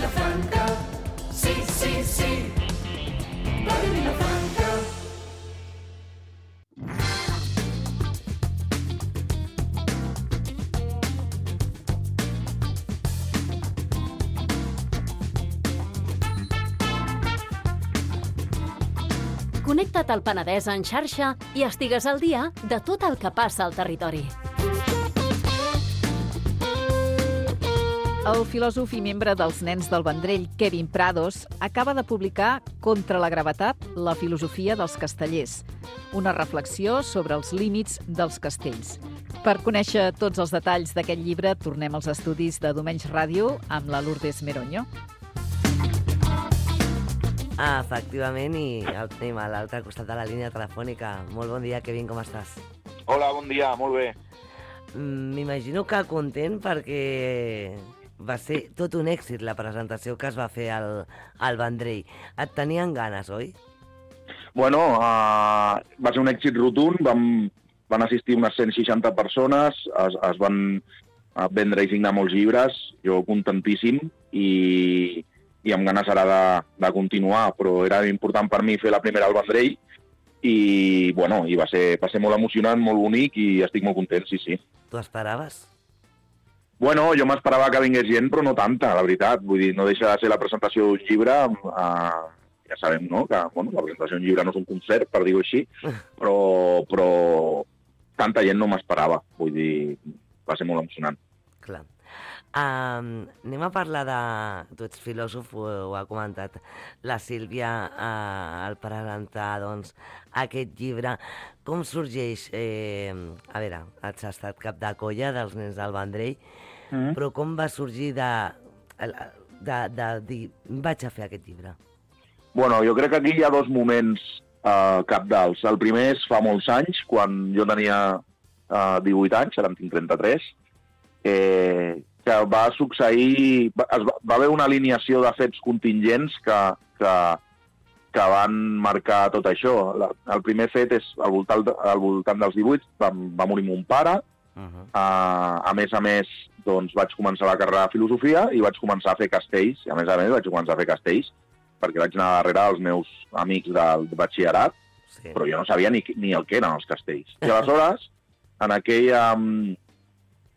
Vilafranca, sí, sí, sí, Ràdio Vilafranca. Connecta't al Penedès en xarxa i estigues al dia de tot el que passa al territori. El filòsof i membre dels Nens del Vendrell, Kevin Prados, acaba de publicar Contra la gravetat, la filosofia dels castellers, una reflexió sobre els límits dels castells. Per conèixer tots els detalls d'aquest llibre, tornem als estudis de Domenys Ràdio amb la Lourdes Meroño. Efectivament, i el tenim a l'altre costat de la línia telefònica. Molt bon dia, Kevin, com estàs? Hola, bon dia, molt bé. M'imagino que content perquè va ser tot un èxit la presentació que es va fer al Vendrell. Et tenien ganes, oi? Bueno, va ser un èxit rotund, van assistir unes 160 persones, es van vendre i signar molts llibres, jo contentíssim, i amb ganes ara de continuar, però era important per mi fer la primera al Vendrell i, bueno, i va ser molt emocionant, molt bonic i estic molt content, sí, sí. Tu esperaves? Bueno, jo m'esperava que vingués gent, però no tanta, la veritat. Vull dir, no deixa de ser la presentació d'un llibre, ja sabem, no?, que bueno, la presentació d'un llibre no és un concert, per dir-ho així, però tanta gent no m'esperava, vull dir, va ser molt emocionant. Clar. Anem a parlar de... Tu ets filòsof, ho ha comentat la Sílvia al presentar doncs, aquest llibre. Com sorgeix? A veure, has estat cap de colla dels Nens del Vendrell, però com va sorgir de dir vaig a fer aquest llibre? Bueno, jo crec que aquí hi ha dos moments cabdals. El primer és fa molts anys, quan jo tenia 18 anys, ara en tinc 33, que va succeir... Va haver una alineació de fets contingents que van marcar tot això. El primer fet és, al voltant dels 18, va morir mon pare. A més, doncs, vaig començar la carrera de filosofia i vaig començar a fer castells. I a més vaig començar a fer castells perquè vaig anar darrere dels meus amics del batxillerat, sí. Però jo no sabia ni el que eren els castells. I aleshores, en aquella...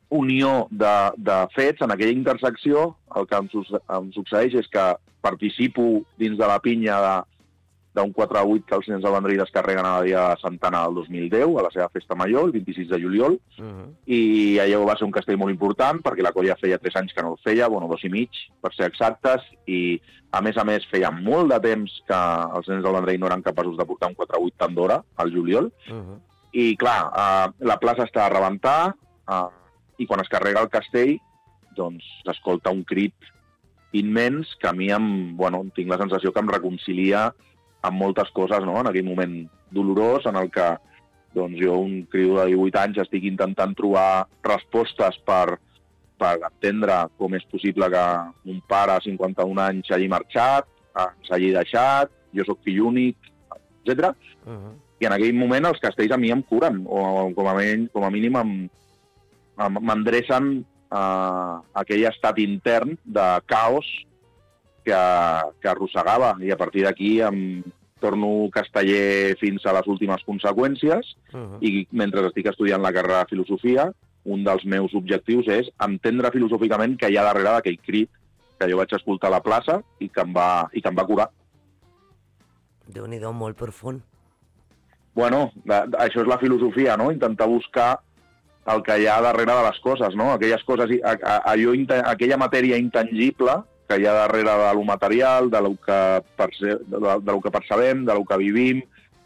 unió de fets, en aquella intersecció, el que em succeeix és que participo dins de la pinya d'un 4-8 que els Nens del Vendrell descarreguen a la dia de Santana del 2010, a la seva festa major, el 26 de juliol, i allò va ser un castell molt important, perquè la colla feia 3 anys que no el feia, 2 i mig, per ser exactes, i a més feia molt de temps que els Nens del Vendrell no eren capaços de portar un 4-8 tant d'hora, al juliol, i clar, la plaça està a rebentar, i quan es carrega el castell, doncs s'escolta un crit immens que a mi tinc la sensació que em reconcilia amb moltes coses, no?, en aquell moment dolorós en el que doncs, jo, un criu de 18 anys, estic intentant trobar respostes per entendre com és possible que un pare a 51 anys hagi marxat, ens hagi deixat, jo sóc fill únic, etc. I en aquell moment els castells a mi em curen, o com a mínim m'endrecen aquell estat intern de caos que arrossegava, i a partir d'aquí em torno casteller fins a les últimes conseqüències, i mentre estic estudiant la carrera de filosofia, un dels meus objectius és entendre filosòficament què hi ha darrere d'aquell crit que jo vaig escoltar a la plaça i que em va curar. Déu-n'hi-do, molt profund. Bueno, això és la filosofia, no?, intentar buscar el que hi ha darrere de les coses, no? Aquelles coses, aquella matèria intangible que hi ha darrere de lo material, de lo que percebem, de lo que vivim,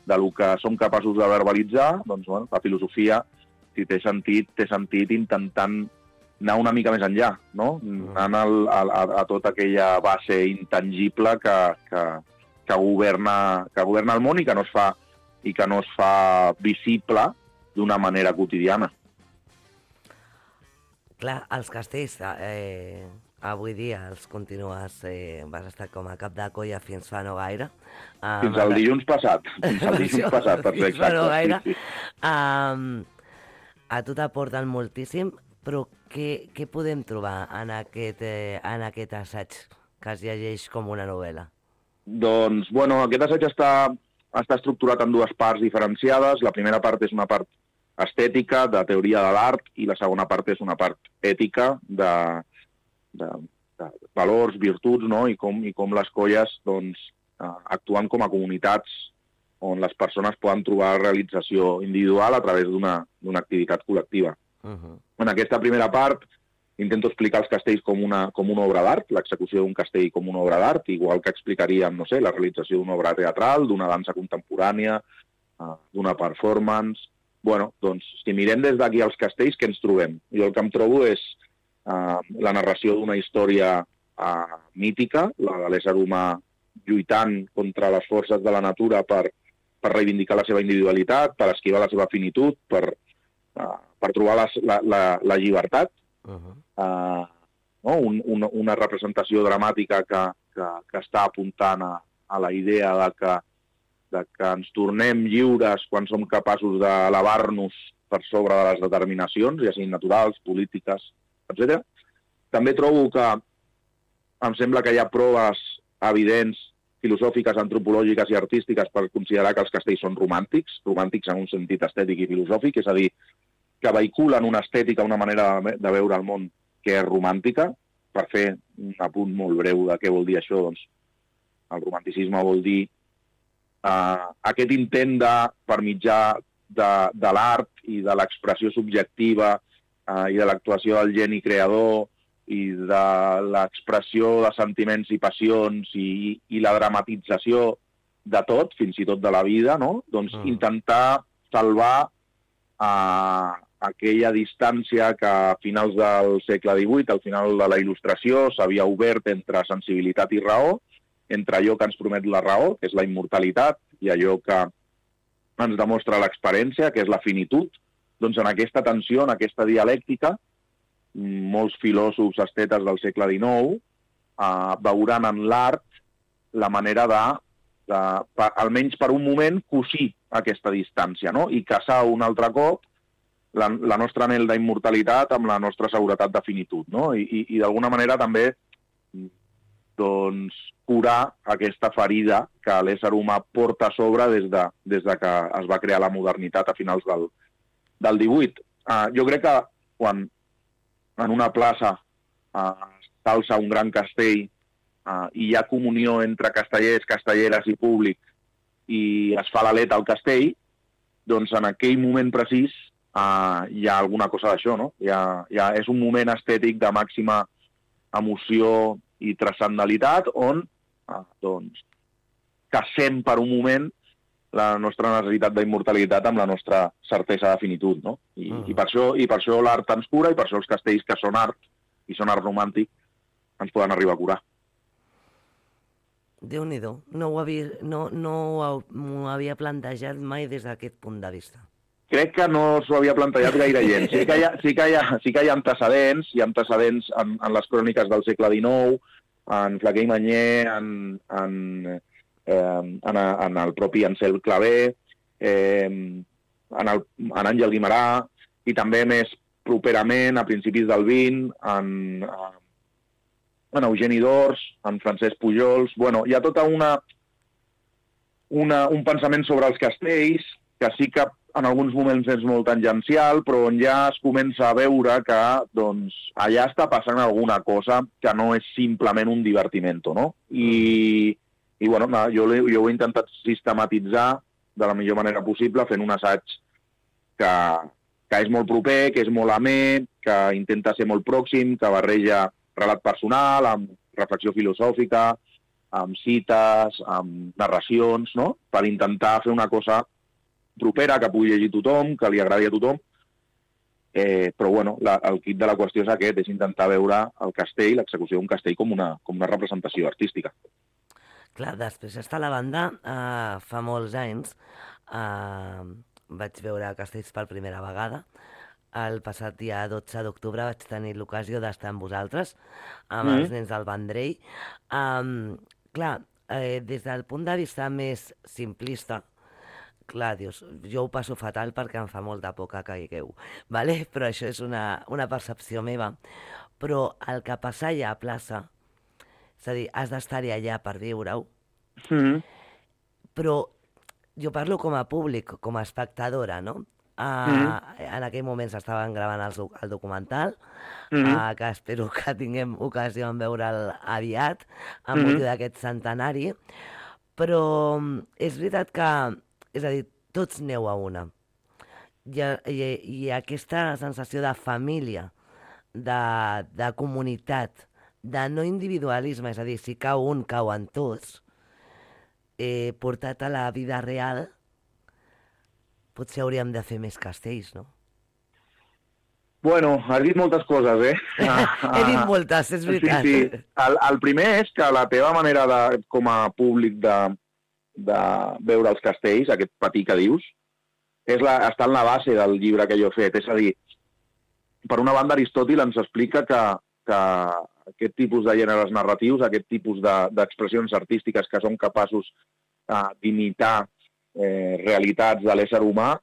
de lo que som capaços de verbalitzar, doncs, bueno, la filosofia, si té sentit intentant anar una mica més enllà, no? Anant a tota aquella base intangible que governa el món i que no es fa visible d'una manera quotidiana. Clar, els castells, avui dia els continues, vas estar com a cap de colla fins fa no gaire. Fins al dilluns passat, per ser exacte. No gaire. Sí. A tu t'aporten moltíssim, però què podem trobar en aquest assaig que es llegeix com una novel·la? Doncs, bueno, aquest assaig està estructurat en dues parts diferenciades. La primera part és una part estètica, de teoria de l'art, i la segona part és una part ètica, de valors, virtuts, no? I com les colles doncs, actuen com a comunitats on les persones poden trobar realització individual a través d'una activitat col·lectiva. En aquesta primera part intento explicar els castells com una obra d'art, l'execució d'un castell com una obra d'art, igual que explicaríem, no sé, la realització d'una obra teatral, d'una dansa contemporània, d'una performance. Bueno, doncs, si mirem des d'aquí els castells, què ens trobem? Jo el que em trobo és la narració d'una història mítica, la de l'ésser humà lluitant contra les forces de la natura per reivindicar la seva individualitat, per esquivar la seva finitud, per trobar la llibertat. No? Una representació dramàtica que està apuntant a la idea de que ens tornem lliures quan som capaços d'elevar-nos per sobre de les determinacions, ja siguin naturals, polítiques, etc. També trobo que em sembla que hi ha proves evidents, filosòfiques, antropològiques i artístiques per considerar que els castells són romàntics en un sentit estètic i filosòfic, és a dir, que vehiculen una estètica, una manera de veure el món que és romàntica. Per fer un apunt molt breu de què vol dir això, doncs el romanticisme vol dir aquest intent per mitjà de l'art i de l'expressió subjectiva i de l'actuació del geni creador i de l'expressió de sentiments i passions i la dramatització de tot, fins i tot de la vida, no? Doncs intentar salvar aquella distància que a finals del segle XVIII, al final de la Il·lustració, s'havia obert entre sensibilitat i raó, entre allò que ens promet la raó, que és la immortalitat, i allò que ens demostra l'experiència, que és la finitud. Doncs en aquesta tensió, en aquesta dialèctica, molts filòsofs estetes del segle XIX veuran en l'art la manera almenys per un moment, cosir aquesta distància, no? I casar un altre cop la nostra anhel d'immortalitat amb la nostra seguretat de finitud, no? I d'alguna manera també doncs, curar aquesta ferida que l'ésser humà porta a sobre des de que es va crear la modernitat a finals del XVIII. Jo crec que quan en una plaça s'alça un gran castell i hi ha comunió entre castellers, castelleres i públic i es fa l'aleta al castell, doncs en aquell moment precís hi ha alguna cosa d'això, no? És un moment estètic de màxima emoció i transcendentalitat on doncs, casem per un moment la nostra necessitat d'immortalitat amb la nostra certesa de finitud, no? I per això l'art ens cura i per això els castells que són art i són art romàntic ens poden arribar a curar. Déu-n'hi-do, no m'ho havia plantejat mai des d'aquest punt de vista. Crec que no s'ho havia plantejat gaire gent. Sí que hi ha antecedents, en les cròniques del segle XIX, en Flaquer i Mañé, en el propi Ansel Clavé, en Àngel Guimerà, i també més properament, a principis del XX, en Eugeni d'Ors, en Francesc Pujols. Bueno, hi ha tota un pensament sobre els castells, que sí que en alguns moments és molt tangencial, però on ja es comença a veure que doncs, allà està passant alguna cosa que no és simplement un divertimento, no? I bueno, jo ho he intentat sistematitzar de la millor manera possible, fent un assaig que és molt proper, que és molt amè, que intenta ser molt pròxim, que barreja relat personal, amb reflexió filosòfica, amb cites, amb narracions, no? Per intentar fer una cosa propera, que pugui llegir tothom, que li agradi a tothom. Però bueno, el quid de la qüestió és aquest, és intentar veure el castell, l'execució d'un castell com una representació artística. Clar, després està la banda, fa molts anys, vaig veure castells per primera vegada. El passat dia 12 d'octubre vaig tenir l'ocasió d'estar amb vosaltres, amb els nens del Vendrell. Clar, des del punt de vista més simplista, clar, dius, jo ho passo fatal perquè em fa molta por que caigueu, ¿vale? Però això és una percepció meva. Però el que passa allà a plaça És a dir, has d'estar-hi allà per viure-ho. Mhm. Però jo parlo com a públic, com a espectadora, no? En aquell moment s'estaven gravant el documental, que espero que tinguem ocasió de veure'l aviat, amb motiu d'aquest centenari, però és veritat que, és a dir, tots neu a una. I aquesta sensació de família, de comunitat, de no individualisme, és a dir, si cau un, cauen tots, portat a la vida real, potser hauríem de fer més castells, no? Bueno, has dit moltes coses, eh? He dit moltes, és veritat. Sí. El primer és que la teva manera com a públic de veure els castells, aquest patí que dius, està en la base del llibre que jo he fet. És a dir, per una banda, Aristòtil ens explica que aquest tipus de gèneres narratius, aquest tipus d'expressions artístiques que són capaços d'imitar realitats de l'ésser humà,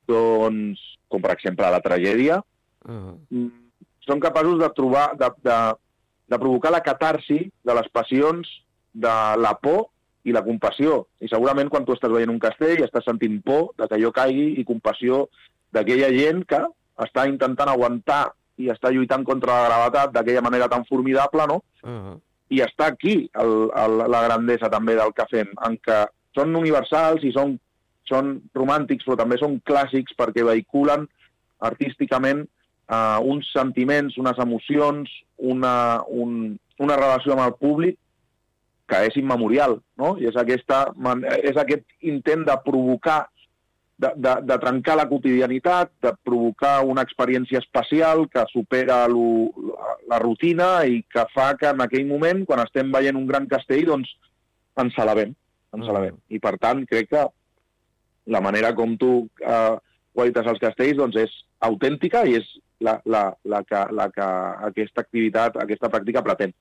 doncs, com per exemple la tragèdia, són capaços de trobar, de provocar la catarsi de les passions de la por i la compassió. I segurament quan tu estàs veient un castell estàs sentint por de que allò caigui i compassió d'aquella gent que està intentant aguantar i està lluitant contra la gravetat d'aquella manera tan formidable, no? I està aquí la grandesa també del que fem, en què són universals i són romàntics, però també són clàssics perquè vehiculen artísticament uns sentiments, unes emocions, una relació amb el públic que és immemorial, no? I és aquest intent de provocar, de trencar la quotidianitat, de provocar una experiència especial que supera la rutina i que fa que en aquell moment, quan estem veient un gran castell, doncs ens alabem. I per tant, crec que la manera com tu qualites els castells doncs és autèntica i és la que aquesta activitat, aquesta pràctica pretén.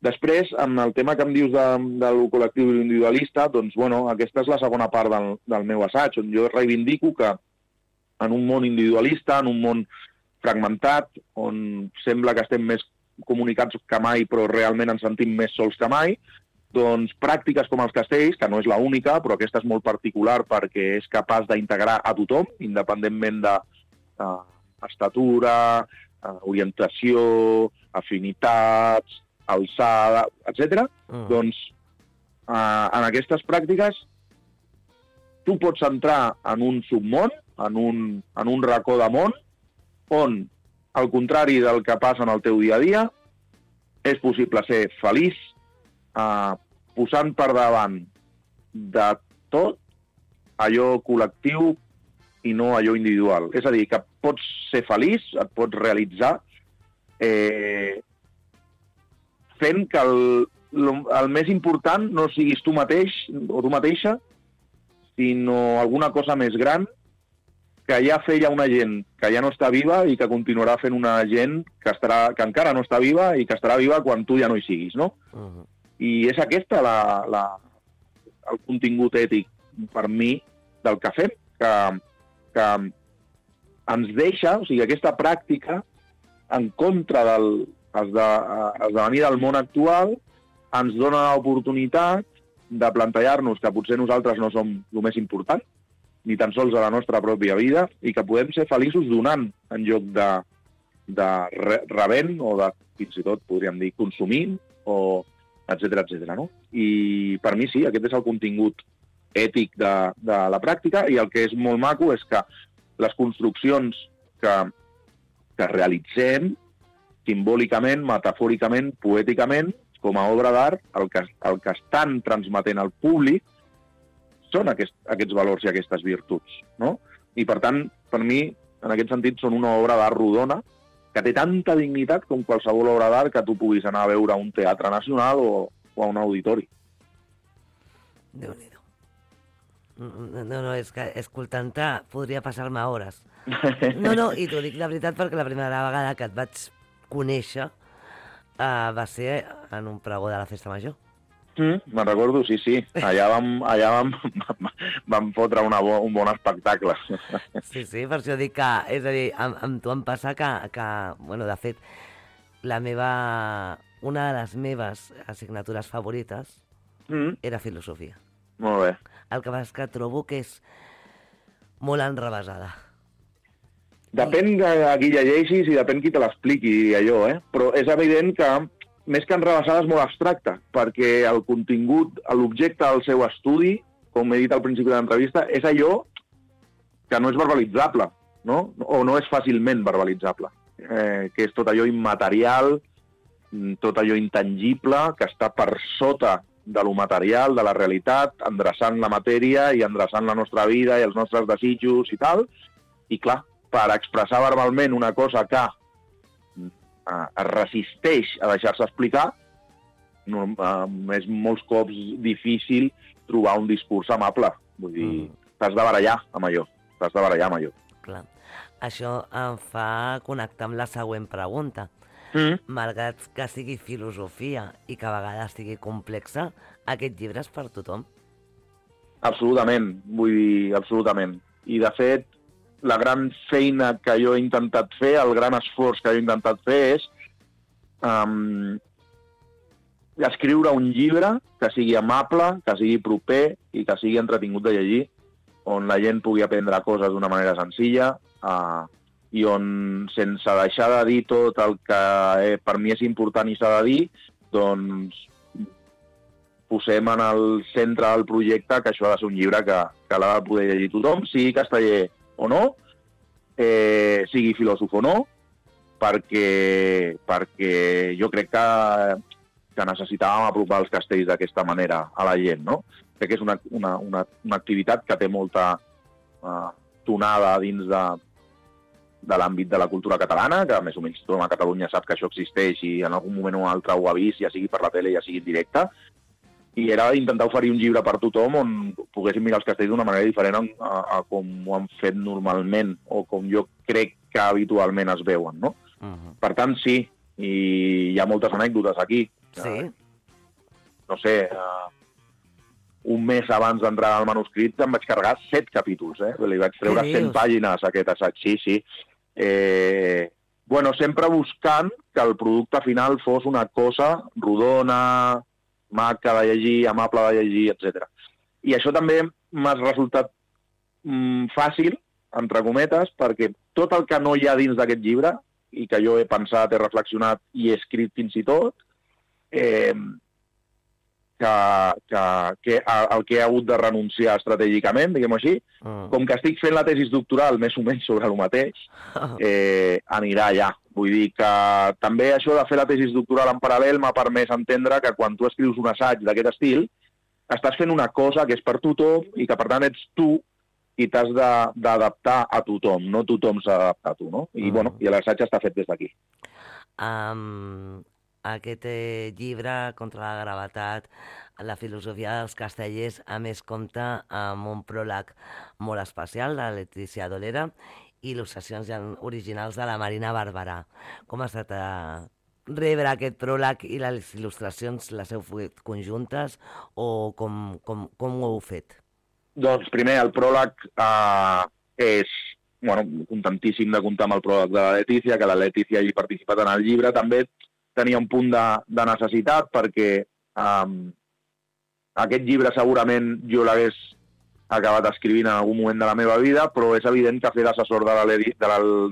Després, amb el tema que em dius del col·lectiu individualista, doncs, bueno, aquesta és la segona part del meu assaig, on jo reivindico que en un món individualista, en un món fragmentat, on sembla que estem més comunicats que mai, però realment ens sentim més sols que mai, doncs pràctiques com els castells, que no és l'única, però aquesta és molt particular perquè és capaç d'integrar a tothom, independentment d'estatura, orientació, afinitats, alçada, etc. Doncs en aquestes pràctiques tu pots entrar en un submón, en un racó de món, on, al contrari del que passa en el teu dia a dia, és possible ser feliç posant per davant de tot allò col·lectiu i no allò individual. És a dir, que pots ser feliç, et pots realitzar fent que el més important no siguis tu mateix o tu mateixa, sinó alguna cosa més gran que ja feia una gent que ja no està viva i que continuarà fent una gent que encara no està viva i que estarà viva quan tu ja no hi siguis, no? I és aquesta el contingut ètic per mi del que fem, que ens deixa, o sigui, aquesta pràctica en contra del esdevenir del món actual ens dona l'oportunitat de plantejar-nos que potser nosaltres no som el més important, ni tan sols a la nostra pròpia vida, i que podem ser feliços donant en lloc de rebent o de, fins i tot, podríem dir, consumint, o etcètera, no? I per mi sí, aquest és el contingut ètic de la pràctica, i el que és molt maco és que les construccions que realitzem simbòlicament, metafòricament, poèticament, com a obra d'art, el que estan transmetent al públic són aquests valors i aquestes virtuts, no? I, per tant, per mi, en aquest sentit, són una obra d'art rodona que té tanta dignitat com qualsevol obra d'art que tu puguis anar a veure a un teatre nacional o a un auditori. Déu-n'hi-do. No, és que escoltant-te podria passar-me hores. No, i t'ho dic de veritat perquè la primera vegada que et vaig conèixer va ser en un pregó de la Festa Major. Me'n recordo, sí. Allà vam fotre un bon espectacle. Sí, per això dic que, és a dir, amb tu em passa que bueno, de fet, la meva una de les meves assignatures favorites era filosofia. Molt bé. El que passa és que trobo que és molt enrevesada. Depèn de qui llegeixis i depèn qui te l'expliqui, allò, Però és evident que, més que enrevesada, és molt abstracte, perquè el contingut, l'objecte del seu estudi, com he dit al principi de l'entrevista, és allò que no és verbalitzable, no? O no és fàcilment verbalitzable, que és tot allò immaterial, tot allò intangible, que està per sota de lo material, de la realitat, endreçant la matèria i endreçant la nostra vida i els nostres desitjos i tal. I clar, per expressar verbalment una cosa que es resisteix a deixar-se explicar, és molts cops difícil trobar un discurs amable. Vull dir, t'has de barallar amb allò. Clar. Això em fa connectar amb la següent pregunta. Malgrat que sigui filosofia i que a vegades sigui complexa, aquest llibre és per tothom? Absolutament, vull dir, absolutament. I, de fet, la gran feina que jo he intentat fer, el gran esforç que jo he intentat fer és escriure un llibre que sigui amable, que sigui proper i que sigui entretingut de llegir, on la gent pugui aprendre coses d'una manera senzilla i on, sense deixar de dir tot el que per mi és important i s'ha de dir, doncs posem en el centre del projecte que això ha de ser un llibre que l'ha de poder llegir tothom, sigui casteller o no, sigui filòsof o no, perquè jo crec que necessitàvem apropar els castells d'aquesta manera a la gent, no? Crec que és una activitat que té molta tonada dins de l'àmbit de la cultura catalana, que més o menys tothom a Catalunya sap que això existeix i en algun moment o altre ho ha vist, ja sigui per la tele, ja sigui en directe, i era intentar oferir un llibre per tothom on poguéssim mirar els castells d'una manera diferent a com ho han fet normalment o com jo crec que habitualment es veuen, no? Per tant, sí, i hi ha moltes anècdotes aquí. Sí? No sé, un mes abans d'entrar al manuscrit em vaig carregar 7 capítols, Li vaig treure 100 pàgines a aquest assaig, sí. Bueno, sempre buscant que el producte final fos una cosa rodona, maca de llegir, amable de llegir, etc. I això també m'ha resultat fàcil, entre cometes, perquè tot el que no hi ha dins d'aquest llibre, i que jo he pensat, he reflexionat i he escrit fins i tot, el que he hagut de renunciar estratègicament, diguem-ho així, com que estic fent la tesis doctoral més o menys sobre el mateix, anirà allà. Vull dir que també això de fer la tesis doctoral en paral·lel m'ha permès entendre que quan tu escrius un assaig d'aquest estil, estàs fent una cosa que és per tothom i que, per tant, ets tu i t'has d'adaptar a tothom, no tothom s'ha d'adaptar a tu, no? I, bueno, i l'assaig està fet des d'aquí. Aquest llibre, Contra la gravetat, la filosofia dels castellers, a més compta amb un pròleg molt especial de Letícia Dolera i il·lustracions originals de la Marina Barberà. Com ha estat rebre aquest pròleg i les il·lustracions, les heu fet conjuntes o com ho heu fet? Doncs primer, el pròleg és, bueno, contentíssim de comptar amb el pròleg de la Letícia, que la Letícia hagi participat en el llibre. També tenia un punt de necessitat perquè aquest llibre segurament jo l'hagués acabat escrivint en algun moment de la meva vida, però és evident que fer d'assessor de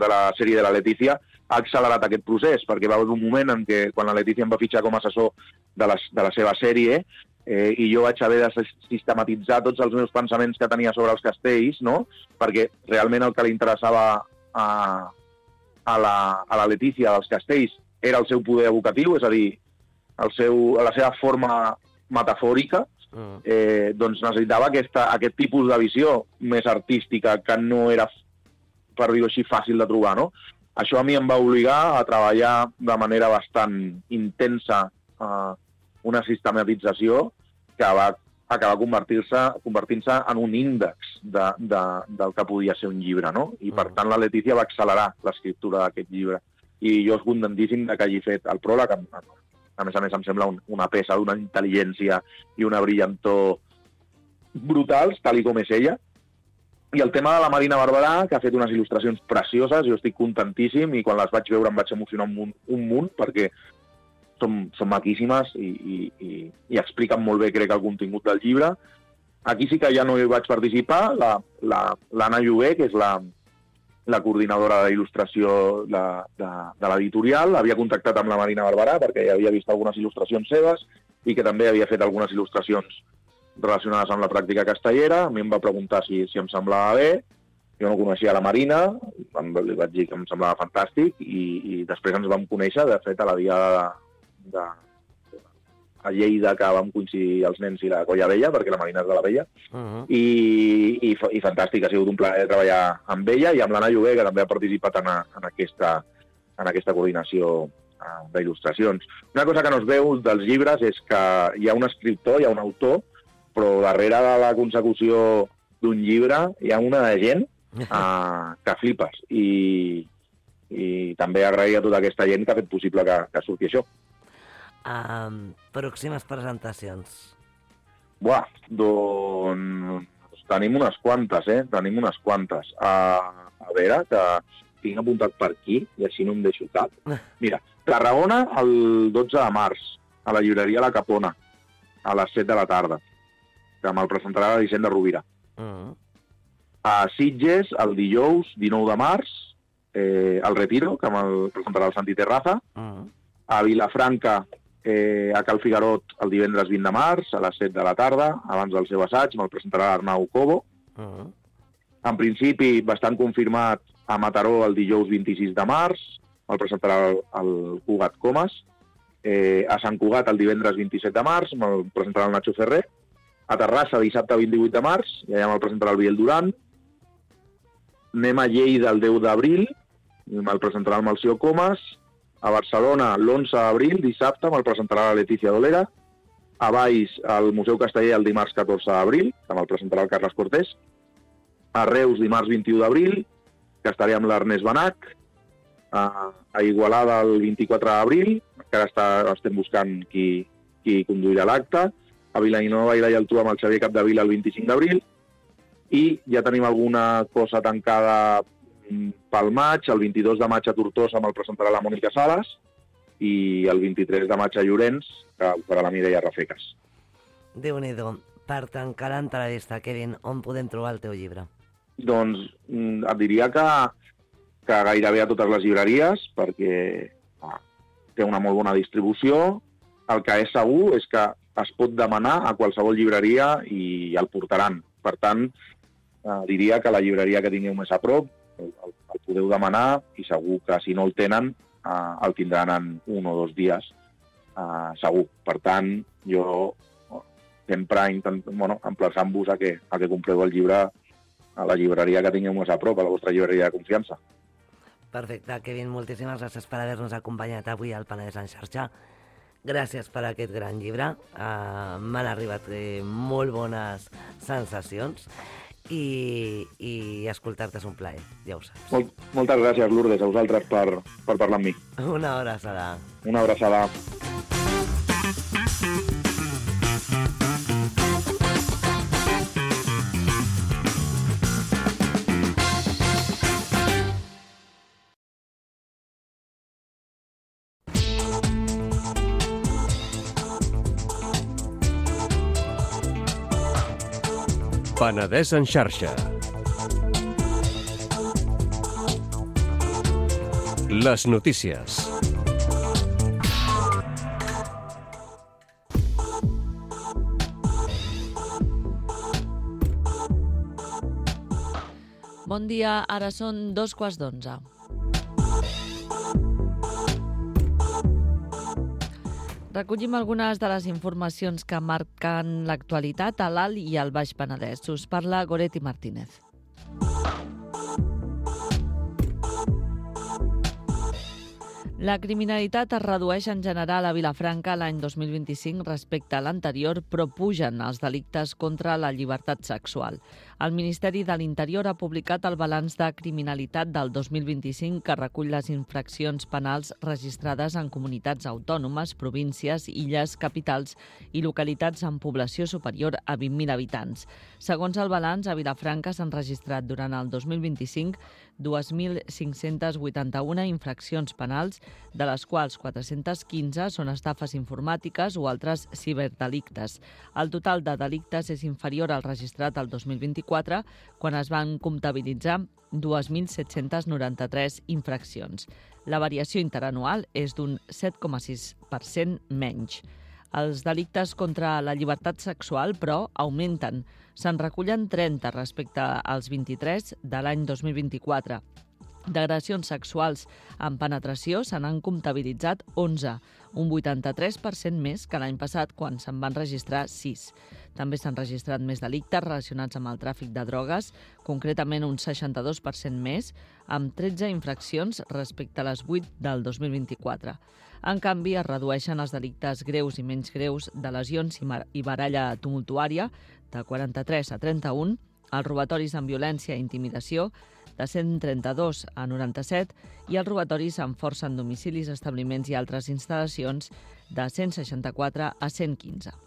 la sèrie de la Letícia ha accelerat aquest procés, perquè va haver un moment en què, quan la Letícia em va fitxar com a assessor de la seva sèrie, i jo vaig haver de sistematitzar tots els meus pensaments que tenia sobre els castells, no? Perquè realment el que li interessava a la Letícia dels castells era el seu poder evocatiu, és a dir, la seva forma metafòrica, doncs necessitava aquest tipus de visió més artística que no era, per dir-ho així, fàcil de trobar, no? Això a mi em va obligar a treballar de manera bastant intensa una sistematització que va acabar convertint-se en un índex del que podia ser un llibre, no? I per tant la Letícia va accelerar l'escriptura d'aquest llibre. I jo és contentíssim que hagi fet el pròleg. A més em sembla una peça d'una intel·ligència i una brillantor brutals, tal com és ella. I el tema de la Marina Barberà, que ha fet unes il·lustracions precioses, jo estic contentíssim i quan les vaig veure em vaig emocionar un munt perquè són maquíssimes i expliquen molt bé, crec, el contingut del llibre. Aquí sí que ja no hi vaig participar. L'Anna Lloguer, que és la coordinadora d'il·lustració de l'editorial, havia contactat amb la Marina Barberà perquè ja havia vist algunes il·lustracions seves i que també havia fet algunes il·lustracions relacionades amb la pràctica castellera. A mi em va preguntar si em semblava bé. Jo no coneixia la Marina, li vaig dir que em semblava fantàstic i després ens vam conèixer, de fet, a la diada a Lleida, que vam coincidir els nens i la Colla Vella, perquè la Marina és de la Vella, i fantàstic, ha sigut un plaer treballar amb ella i amb l'Anna Lloguer, que també ha participat en aquesta coordinació d'il·lustracions. Una cosa que no es veu dels llibres és que hi ha un escriptor, hi ha un autor, però darrere de la consecució d'un llibre hi ha una gent que flipes. I també agrair a tota aquesta gent que ha fet possible que surti això. Pròximes presentacions. Buah, doncs tenim unes quantes, Tenim unes quantes. A veure, que tinc apuntat per aquí, i així no em deixo cap. Mira, Tarragona el 12 de març, a la llibreria La Capona, a les 7 de la tarda, que me'l presentarà la Vicent de Rovira. A Sitges, el dijous 19 de març, al Retiro, que me'l presentarà el Santi Terraza. A Vilafranca, a Cal Figarot, el divendres 20 de març, a les 7 de la tarda, abans del seu assaig, me'l presentarà l'Arnau Cobo. En principi, bastant confirmat, a Mataró, el dijous 26 de març, me'l presentarà el Cugat Comas. A Sant Cugat, el divendres 27 de març, me'l presentarà el Nacho Ferrer. A Terrassa, dissabte 28 de març, i allà me'l presentarà el Biel Duran. Anem a Lleida el 10 d'abril, i me'l presentarà el Malció Comas. A Barcelona, l'11 d'abril, dissabte, me'l presentarà la Letícia Dolera. A Valls, al Museu Casteller, el dimarts 14 d'abril, que me'l presentarà el Carles Cortés. A Reus, dimarts 21 d'abril, que estaré amb l'Ernest Benach. A Igualada, el 24 d'abril, encara estem buscant qui conduirà l'acte. A Vilanova i la Geltrú amb el Xavier Capdevila el 25 d'abril. I ja tenim alguna cosa tancada pel maig. El 22 de maig a Tortosa me'l presentarà la Mònica Sales i el 23 de maig a Llorenç, que ho farà la Mireia Rafecas. Déu-n'hi-do. Per tancar l'entrevista, Kevin, on podem trobar el teu llibre? Doncs et diria que gairebé a totes les llibreries, perquè té una molt bona distribució. El que és segur és que es pot demanar a qualsevol llibreria i el portaran. Per tant, diria que la llibreria que tingueu més a prop el podeu demanar i segur que si no el tenen el tindran en 1 o 2 dies, segur. Per tant, jo sempre emplaçant-vos a que compreu el llibre a la llibreria que tingueu més a prop, a la vostra llibreria de confiança. Perfecte, Kevin, moltíssimes gràcies per haver-nos acompanyat avui al Penedès en xarxa. Gràcies per aquest gran llibre. M'han arribat molt bones sensacions i escoltar-te és un plaer, ja ho saps. Moltes gràcies, Lourdes, a vosaltres per parlar amb mi. Una abraçada. Una abraçada. Penedès en xarxa. Les notícies. Bon dia, ara són 2:15. Recollim algunes de les informacions que marquen l'actualitat a l'Alt i al Baix Penedès. Us parla Goretti Martínez. La criminalitat es redueix en general a Vilafranca l'any 2025 respecte a l'anterior, però pugen els delictes contra la llibertat sexual. El Ministeri de l'Interior ha publicat el balanç de criminalitat del 2025 que recull les infraccions penals registrades en comunitats autònomes, províncies, illes, capitals i localitats amb població superior a 20.000 habitants. Segons el balanç, a Vilafranca s'han registrat durant el 2025 2.581 infraccions penals, de les quals 415 són estafes informàtiques o altres ciberdelictes. El total de delictes és inferior al registrat el 2024, quan es van comptabilitzar 2.793 infraccions. La variació interanual és d'un 7,6% menys. Els delictes contra la llibertat sexual, però, augmenten. Se'n recullen 30 respecte als 23 de l'any 2024. D'agressions sexuals amb penetració se n'han comptabilitzat 11, un 83% més que l'any passat, quan se'n van registrar 6. També s'han registrat més delictes relacionats amb el tràfic de drogues, concretament un 62% més, amb 13 infraccions respecte a les 8 del 2024. En canvi, es redueixen els delictes greus i menys greus de lesions i baralla tumultuària, de 43 a 31, els robatoris amb violència i intimidació, de 132 a 97, i els robatoris amb força en domicilis, establiments i altres instal·lacions, de 164 a 115.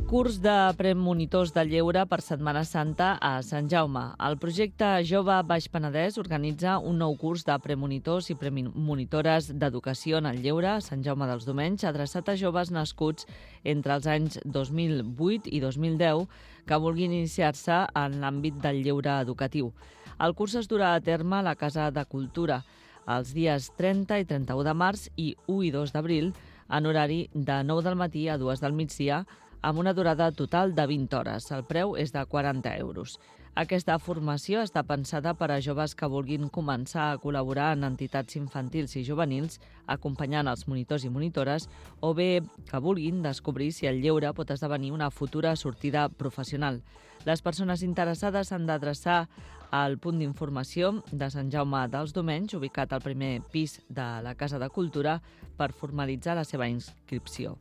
Curs de premonitors de lleure per Setmana Santa a Sant Jaume. El projecte Jove Baix Penedès organitza un nou curs de premonitors i premonitores d'educació en el lleure a Sant Jaume dels Domenys, adreçat a joves nascuts entre els anys 2008 i 2010 que vulguin iniciar-se en l'àmbit del lleure educatiu. El curs es durà a terme a la Casa de Cultura els dies 30 i 31 de març i 1 i 2 d'abril en horari de 9 del matí a 2 del migdia, amb una durada total de 20 hores. El preu és de 40 euros. Aquesta formació està pensada per a joves que vulguin començar a col·laborar en entitats infantils i juvenils, acompanyant els monitors i monitores, o bé que vulguin descobrir si el lleure pot esdevenir una futura sortida professional. Les persones interessades s'han d'adreçar al punt d'informació de Sant Jaume dels Domenys, ubicat al primer pis de la Casa de Cultura, per formalitzar la seva inscripció.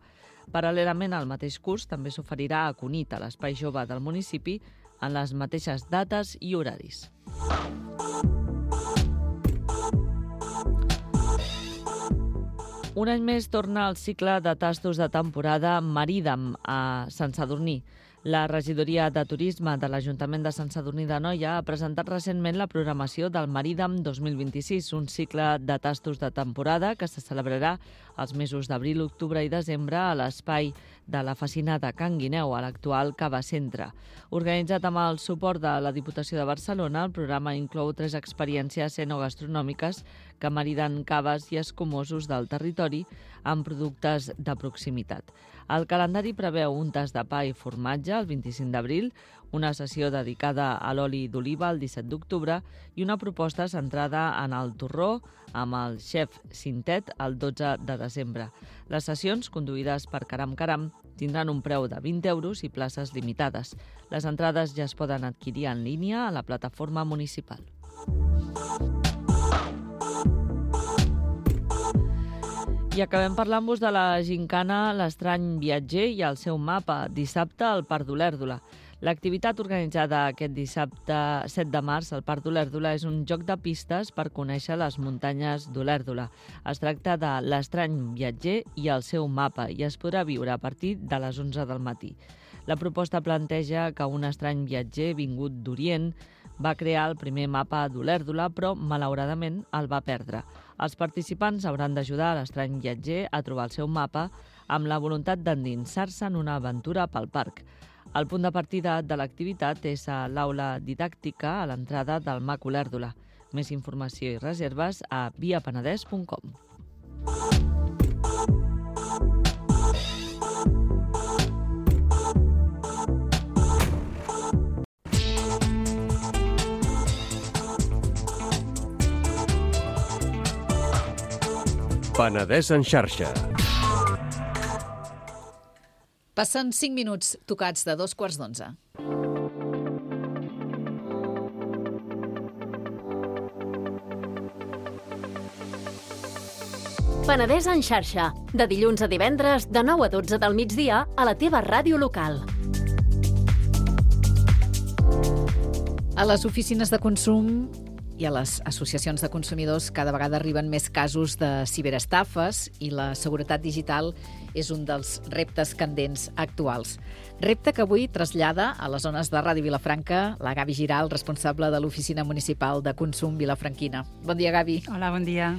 Paral·lelament al mateix curs també s'oferirà a Cunit, a l'Espai Jove del municipi, en les mateixes dates i horaris. Un any més torna el cicle de tastos de temporada Maridam a Sant Sadurní. La regidoria de turisme de l'Ajuntament de Sant Sadurní d'Anoia ha presentat recentment la programació del Maridam 2026, un cicle de tastos de temporada que se celebrarà els mesos d'abril, octubre i desembre a l'espai de la Facina de Can Guineu, a l'actual Cava Centre. Organitzat amb el suport de la Diputació de Barcelona, el programa inclou 3 experiències enogastronòmiques que mariden caves i escumosos del territori amb productes de proximitat. El calendari preveu un tast de pa i formatge el 25 d'abril, una sessió dedicada a l'oli d'oliva el 17 d'octubre i una proposta centrada en el torró amb el xef Cintet el 12 de desembre. Les sessions, conduïdes per Caram Caram, tindran un preu de 20 euros i places limitades. Les entrades ja es poden adquirir en línia a la plataforma municipal. I acabem parlant-vos de la gincana L'Estrany Viatger i el seu mapa, dissabte al Parc d'Olèrdola. L'activitat organitzada aquest dissabte 7 de març al Parc d'Olèrdola és un joc de pistes per conèixer les muntanyes d'Olèrdola. Es tracta de L'Estrany Viatger i el seu mapa i es podrà viure a partir de les 11 del matí. La proposta planteja que un estrany viatger vingut d'Orient va crear el primer mapa d'Olèrdola, però malauradament el va perdre. Els participants hauran d'ajudar l'estrany viatger a trobar el seu mapa amb la voluntat d'endinsar-se en una aventura pel parc. El punt de partida de l'activitat és a l'aula didàctica a l'entrada del MAC Olèrdola. Més informació i reserves a viapenedès.com. Penedès en xarxa. Passen 5 minuts tocats de 11:15. Penedès en xarxa, de dilluns a divendres, de 9 a 12 del migdia, a la teva ràdio local. A les oficines de consum I a les associacions de consumidors cada vegada arriben més casos de ciberestafes i la seguretat digital és un dels reptes candents actuals. Repte que avui trasllada a les zones de Ràdio Vilafranca la Gavi Giral, responsable de l'Oficina Municipal de Consum Vilafranquina. Bon dia, Gavi. Hola, bon dia.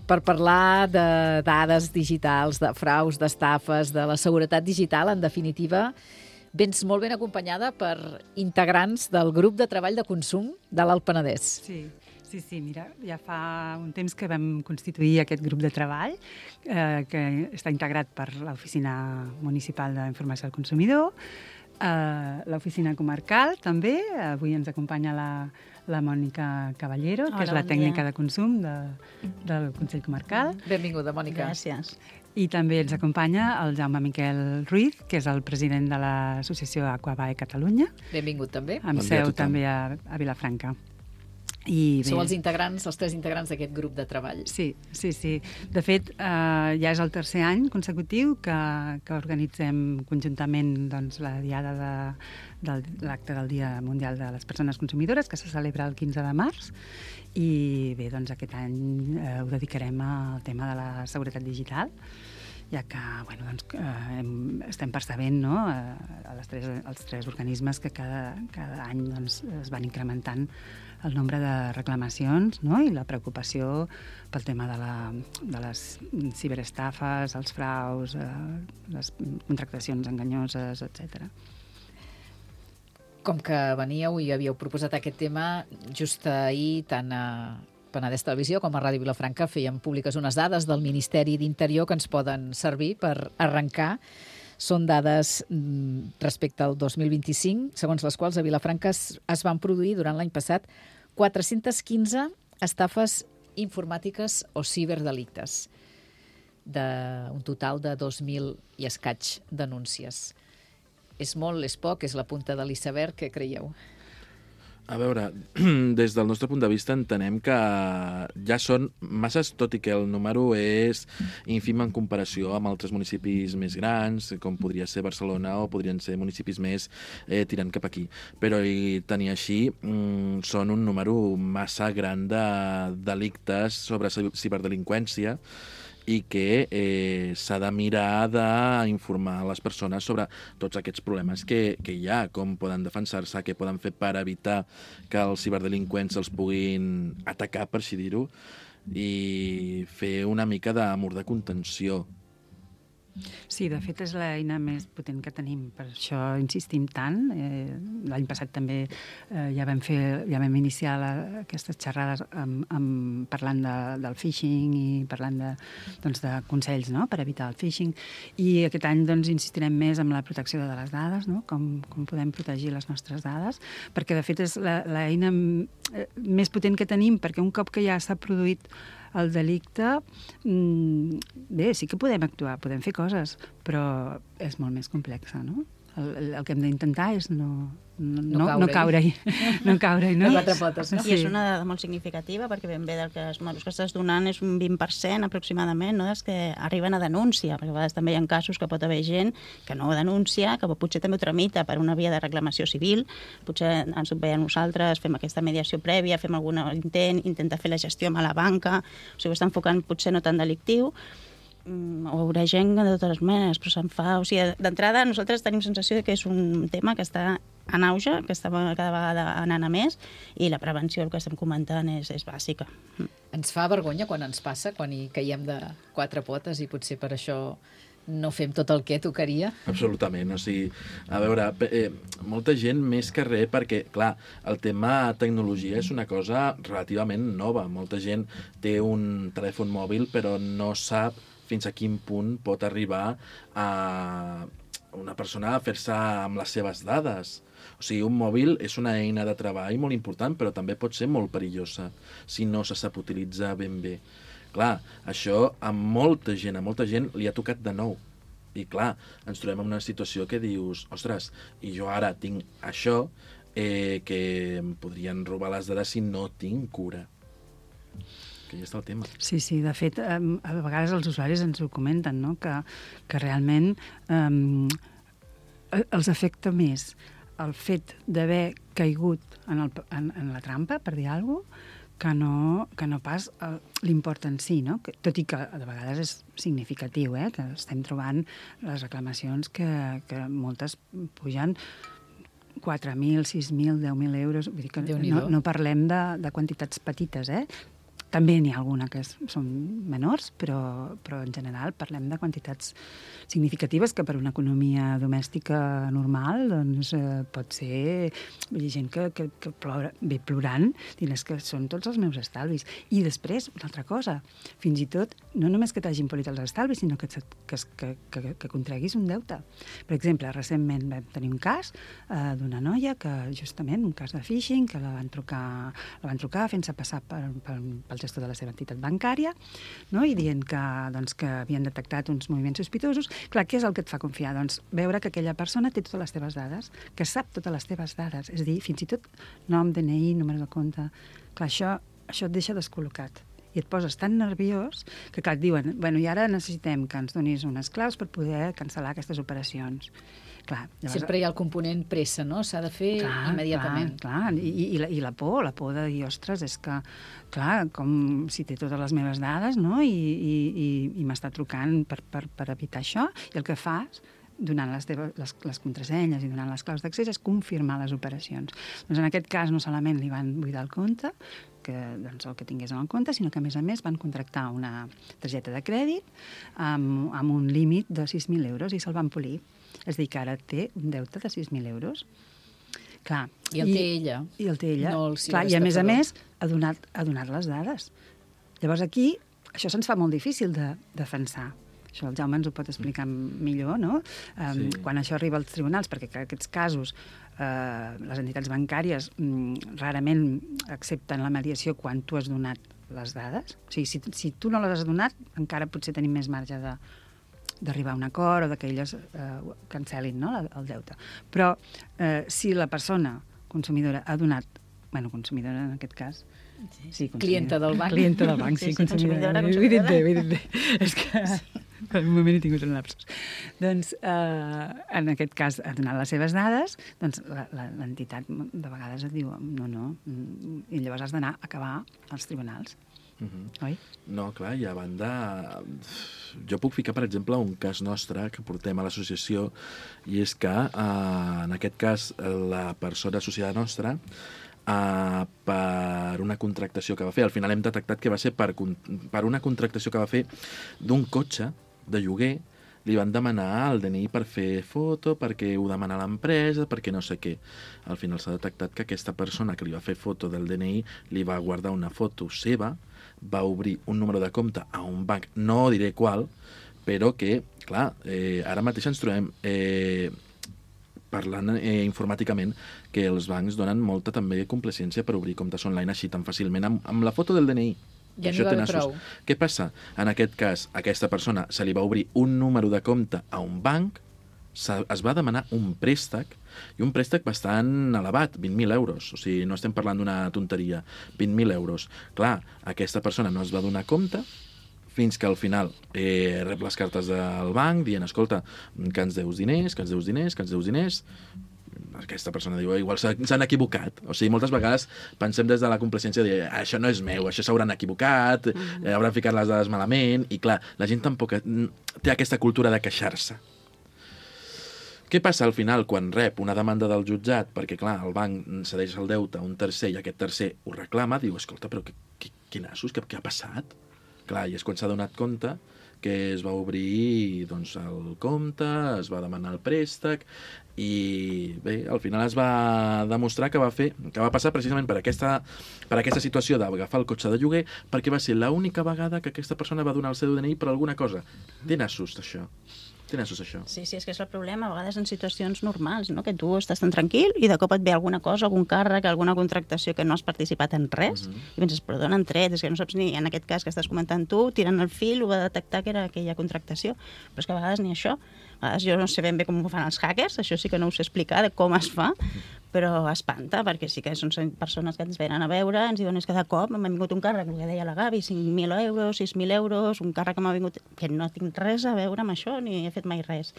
Per parlar de dades digitals, de fraus, d'estafes, de la seguretat digital, en definitiva, vens molt ben acompanyada per integrants del grup de treball de consum de l'Alt Penedès. Sí, mira, ja fa un temps que vam constituir aquest grup de treball que està integrat per l'Oficina Municipal d'Informació al Consumidor, l'Oficina Comarcal també, avui ens acompanya la Mònica Caballero, que és la tècnica de consum del Consell Comarcal. Benvinguda, Mònica. Gràcies. I també ens acompanya el Jaume Miquel Ruiz, que és el president de l'associació Aquabae Catalunya. Benvingut també. Amb seu també a Vilafranca. Sou els integrants, els 3 integrants d'aquest grup de treball. Sí. De fet, ja és el tercer any consecutiu que organitzem conjuntament la diada de l'acte del Dia Mundial de les Persones Consumidores, que se celebra el 15 de març. I bé, doncs aquest any ho dedicarem al tema de la seguretat digital, ja que estem percebent els 3 organismes que cada any es van incrementant el nombre de reclamacions i la preocupació pel tema de les ciberestafes, els fraus, les contractacions enganyoses, etc. Com que veníeu i havíeu proposat aquest tema, just ahir tant a Penedès Televisió com a Ràdio Vilafranca feien públiques unes dades del Ministeri d'Interior que ens poden servir per arrencar. Són dades respecte al 2025, segons les quals a Vilafranca es van produir durant l'any passat 415 estafes informàtiques o ciberdelictes, d'un total de 2.000 i escaig denúncies. És molt, és poc, és la punta de l'iceberg, què creieu? A veure, des del nostre punt de vista entenem que ja són masses, tot i que el número és ínfim en comparació amb altres municipis més grans, com podria ser Barcelona o podrien ser municipis més tirant cap aquí. Però tant i així són un número massa gran de delictes sobre ciberdelinqüència i que s'ha de mirar d'informar les persones sobre tots aquests problemes que hi ha, com poden defensar-se, què poden fer per evitar que els ciberdelinqüents els puguin atacar, per així dir-ho, i fer una mica d'amor de contenció. Sí, de fet és l'eina més potent que tenim, per això insistim tant. L'any passat també ja vam iniciar aquestes xerrades parlant del phishing i parlant de consells per evitar el phishing. I aquest any insistirem més en la protecció de les dades, com podem protegir les nostres dades, perquè de fet és l'eina més potent que tenim, perquè un cop que ja s'ha produït el delicte, bé, sí que podem actuar, podem fer coses, però és molt més complexa, no? El que hem d'intentar és no caure-hi. No caure-hi, no? De quatre potes, no? I és una dada molt significativa, perquè ben bé del que els números que estàs donant és un 20% aproximadament, no?, dels que arriben a denúncia, perquè a vegades també hi ha casos que pot haver gent que no denuncia, que potser també ho tramita per una via de reclamació civil, potser ens ho veiem nosaltres, fem aquesta mediació prèvia, fem algun intent, intenta fer la gestió amb la banca, o sigui, ho està enfocant potser no tan delictiu, o haurà gent de totes maneres, però se'n fa... O sigui, d'entrada, nosaltres tenim sensació que és un tema que està en auge, que està cada vegada anant a més, i la prevenció, el que estem comentant, és bàsica. Ens fa vergonya quan ens passa, quan hi caiem de quatre potes, i potser per això no fem tot el que tocaria? Absolutament, o sigui, a veure, molta gent més que res, perquè, clar, el tema tecnologia és una cosa relativament nova. Molta gent té un telèfon mòbil, però no sap fins a quin punt pot arribar a una persona a fer-se amb les seves dades. O sigui, un mòbil és una eina de treball molt important, però també pot ser molt perillosa si no se sap utilitzar ben bé. Clar, això a molta gent li ha tocat de nou. I clar, ens trobem en una situació que dius, ostres, i jo ara tinc això, que em podrien robar les dades si no tinc cura. Que ja està el tema. Sí, de fet, a vegades els usuaris ens ho comenten, no?, que realment els afecta més el fet d'haver caigut en la trampa, per dir alguna cosa, que no pas l'import en si, no? Tot i que de vegades és significatiu, que estem trobant les reclamacions que moltes pugen 4.000, 6.000, 10.000 euros. Vull dir que no parlem de quantitats petites, També n'hi ha alguna que són menors, però en general parlem de quantitats significatives que per una economia domèstica normal doncs, pot ser gent que ve plorant, dient que són tots els meus estalvis. I després, una altra cosa, fins i tot, no només que t'hagin polit els estalvis, sinó que contraguis un deute. Per exemple, recentment vam tenir un cas d'una noia que, justament, un cas de phishing, que la van trucar fent-se passar pel gestor de la seva entitat bancària, no? I dient que havien detectat uns moviments sospitosos. Clar, què és el que et fa confiar? Doncs veure que aquella persona té totes les teves dades, que sap totes les teves dades, és a dir, fins i tot nom, DNI, número de compte. Clar, això et deixa descol·locat. I et poses tan nerviós que, clar, et diuen, i ara necessitem que ens donis unes claus per poder cancel·lar aquestes operacions. Clar, llavors... Sempre hi ha el component pressa, no? S'ha de fer immediatament. Clar. I la por de dir, ostres, és que, clar, com si té totes les meves dades, no? I m'està trucant per evitar això, i el que fas, donant les contrasenyes i donant les claus d'accés, és confirmar les operacions. Doncs en aquest cas no solament li van buidar el compte, el que tingués en el compte, sinó que a més van contractar una targeta de crèdit amb un límit de 6.000 euros i se'l van polir. És a dir, que ara té un deute de 6.000 euros. Clar, I el té ella. I el té ella. No clar, i a més ha donat les dades. Llavors aquí, això se'ns fa molt difícil de defensar. Això el Jaume ens ho pot explicar millor, no? Quan això arriba als tribunals, perquè en aquests casos les entitats bancàries rarament accepten la mediació quan tu has donat les dades. O sigui, si tu no les has donat, encara potser tenim més marge d'arribar a un acord o que elles cancel·lin, no, el deute. Però si la persona consumidora ha donat, consumidora en aquest cas, sí, clienta del banc. Clienta del banc, sí, consumidora. Ho he dit bé. És que per un moment he tingut un lapsus. Doncs, en aquest cas, ha donat les seves dades, doncs l'entitat de vegades et diu no, i llavors has d'anar a acabar als tribunals. Oi? No, clar, i a banda... Jo puc ficar, per exemple, un cas nostre que portem a l'associació, i és que, en aquest cas, la persona associada nostra, per una contractació que va fer, al final hem detectat que va ser per una contractació que va fer d'un cotxe de lloguer, li van demanar el DNI per fer foto, perquè ho demana l'empresa, perquè no sé què. Al final s'ha detectat que aquesta persona que li va fer foto del DNI li va guardar una foto seva, va obrir un número de compte a un banc, no diré qual, però que, clar, ara mateix ens trobem parlant informàticament que els bancs donen molta també complacència per obrir comptes online així tan fàcilment amb la foto del DNI. Ja n'hi va haver prou. Què passa? En aquest cas, a aquesta persona se li va obrir un número de compte a un banc, es va demanar un préstec, i un préstec bastant elevat, 20.000 euros. O sigui, no estem parlant d'una tonteria, 20.000 euros. Clar, aquesta persona no es va donar compte fins que al final rep les cartes del banc dient, escolta, que ens deus diners, que ens deus diners, que ens deus diners. Aquesta persona diu, igual s'han equivocat. O sigui, moltes vegades pensem des de la complacència de dir, això no és meu, això s'hauran equivocat, hauran ficat les dades malament, i clar, la gent tampoc té aquesta cultura de queixar-se. Què passa al final quan rep una demanda del jutjat? Perquè, clar, el banc cedeix el deute a un tercer i aquest tercer ho reclama, diu, escolta, però quin nassos, què ha passat? Clar, i és quan s'ha donat compte que es va obrir doncs, el compte, es va demanar el préstec i bé, al final es va demostrar que va passar precisament per aquesta situació d'agafar el cotxe de lloguer perquè va ser l'única vegada que aquesta persona va donar el seu DNI per alguna cosa. Té nassos, això. Té nassos, això. Sí, és que és el problema, a vegades en situacions normals, no? Que tu estàs tan tranquil i de cop et ve alguna cosa, algun càrrec, alguna contractació que no has participat en res, i penses, però d'on han tret? És que no saps ni, en aquest cas que estàs comentant tu, tirant el fil, ho va detectar que era aquella contractació, però és que a vegades ni això. A vegades jo no sé ben bé com ho fan els hackers, això sí que no ho sé explicar de com es fa, però espanta, perquè sí que són persones que ens venen a veure, ens diuen, és que de cop m'ha vingut un càrrec, el que deia la Gavi, 5.000 euros, 6.000 euros, un càrrec que m'ha vingut, que no tinc res a veure amb això, ni he fet mai res.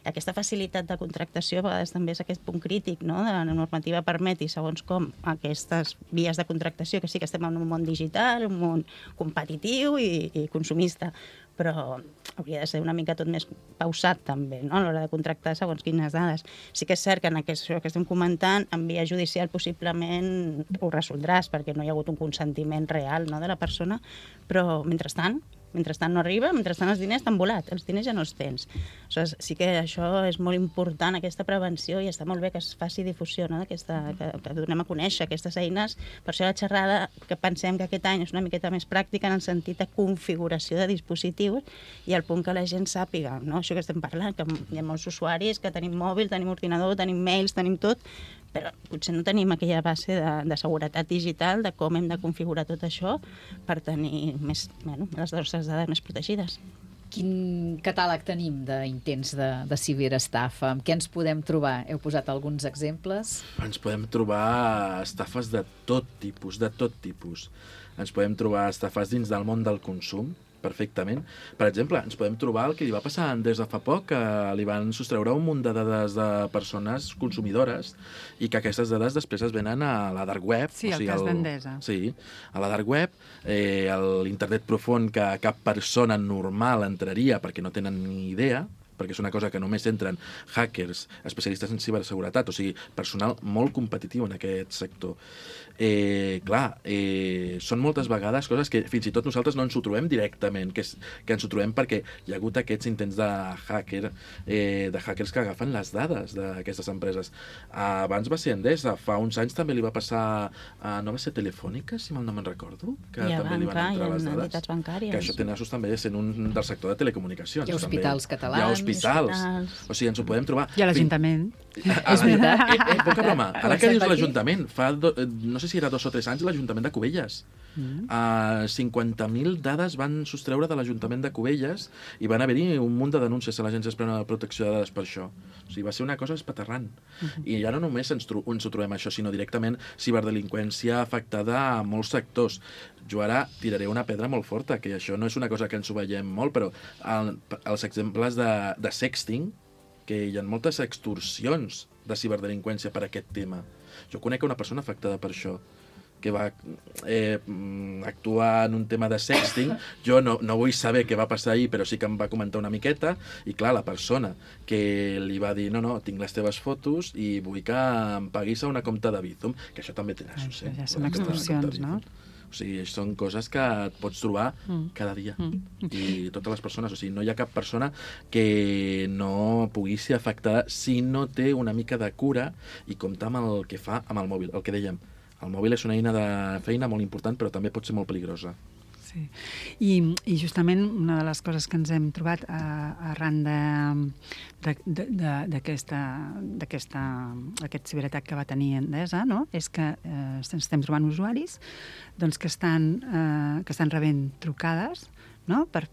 I aquesta facilitat de contractació a vegades també és aquest punt crític, no? De la normativa permeti, segons com, aquestes vies de contractació, que sí que estem en un món digital, un món competitiu i consumista, però hauria de ser una mica tot més pausat també, no? A l'hora de contractar segons quines dades. Sí que és cert que en això que estem comentant, en via judicial possiblement ho resoldràs, perquè no hi ha hagut un consentiment real, no, de la persona, però mentrestant no arriba, mentrestant els diners t'han volat, els diners ja no els tens. Aleshores, sí que això és molt important, aquesta prevenció, i està molt bé que es faci difusió, no? Que donem a conèixer aquestes eines. Per això la xerrada, que pensem que aquest any és una miqueta més pràctica en el sentit de configuració de dispositius i al punt que la gent sàpiga, no? Això que estem parlant, que hi ha molts usuaris que tenim mòbil, tenim ordinador, tenim mails, tenim tot, però potser no tenim aquella base de seguretat digital, de com hem de configurar tot això per tenir les nostres dades més protegides. Quin catàleg tenim d'intents de ciberestafa? Amb què ens podem trobar? Heu posat alguns exemples? Ens podem trobar estafes de tot tipus, Ens podem trobar estafes dins del món del consum, perfectament. Per exemple, ens podem trobar el que li va passar a Endesa fa poc, que li van sostreure un munt de dades de persones consumidores i que aquestes dades després es venen a la dark web. Sí, el cas d'Endesa. Sí, a la dark web, l'internet profund que cap persona normal entraria perquè no tenen ni idea, perquè és una cosa que només entren hackers, especialistes en ciberseguretat, o sigui, personal molt competitiu en aquest sector. Són moltes vegades coses que fins i tot nosaltres no ens ho trobem directament, que ens ho trobem perquè hi ha hagut aquests intents de hackers que agafen les dades d'aquestes empreses. Abans va ser Endesa, fa uns anys també li va passar no va ser Telefònica, si mal no me'n recordo, que també li van entrar les dades. Entitats bancàries. Que això té nassos també sent un del sector de telecomunicacions. Hi ha hospitals catalans. Hi ha hospitals. O sigui, ens ho podem trobar. I a l'Ajuntament. És veritat. Poca broma. Ara que dius l'Ajuntament, fa no sé si era 2 o 3 anys, l'Ajuntament de Cubelles. 50.000 dades van sostreure de l'Ajuntament de Cubelles i van haver-hi un munt de denúncies a l'Agència Espanyola de Protecció de Dades per això. O sigui, va ser una cosa espaterrant. I ja no només ens ho trobem això, sinó directament ciberdelinqüència afectada a molts sectors. Jo ara tiraré una pedra molt forta, que això no és una cosa que ens ho veiem molt, però els exemples de sexting, que hi ha moltes extorsions de ciberdelinqüència per aquest tema. Jo conec una persona afectada per això, que va actuar en un tema de sexting. Jo no vull saber què va passar ahir, però sí que em va comentar una miqueta, i clar, la persona que li va dir no, tinc les teves fotos i vull que em paguis a una compta de Bizum, que això també té nassos. Ja són extorsions, no? O sigui, són coses que et pots trobar cada dia. I totes les persones, o sigui, no hi ha cap persona que no pugui ser afectada si no té una mica de cura i comptar amb el que fa amb el mòbil. El que dèiem, el mòbil és una eina de feina molt important, però també pot ser molt peligrosa. Sí. I justament una de les coses que ens hem trobat arran d'aquest ciberatac que va tenir Endesa, no? És que ens estem trobant usuaris que estan rebent trucades, no? per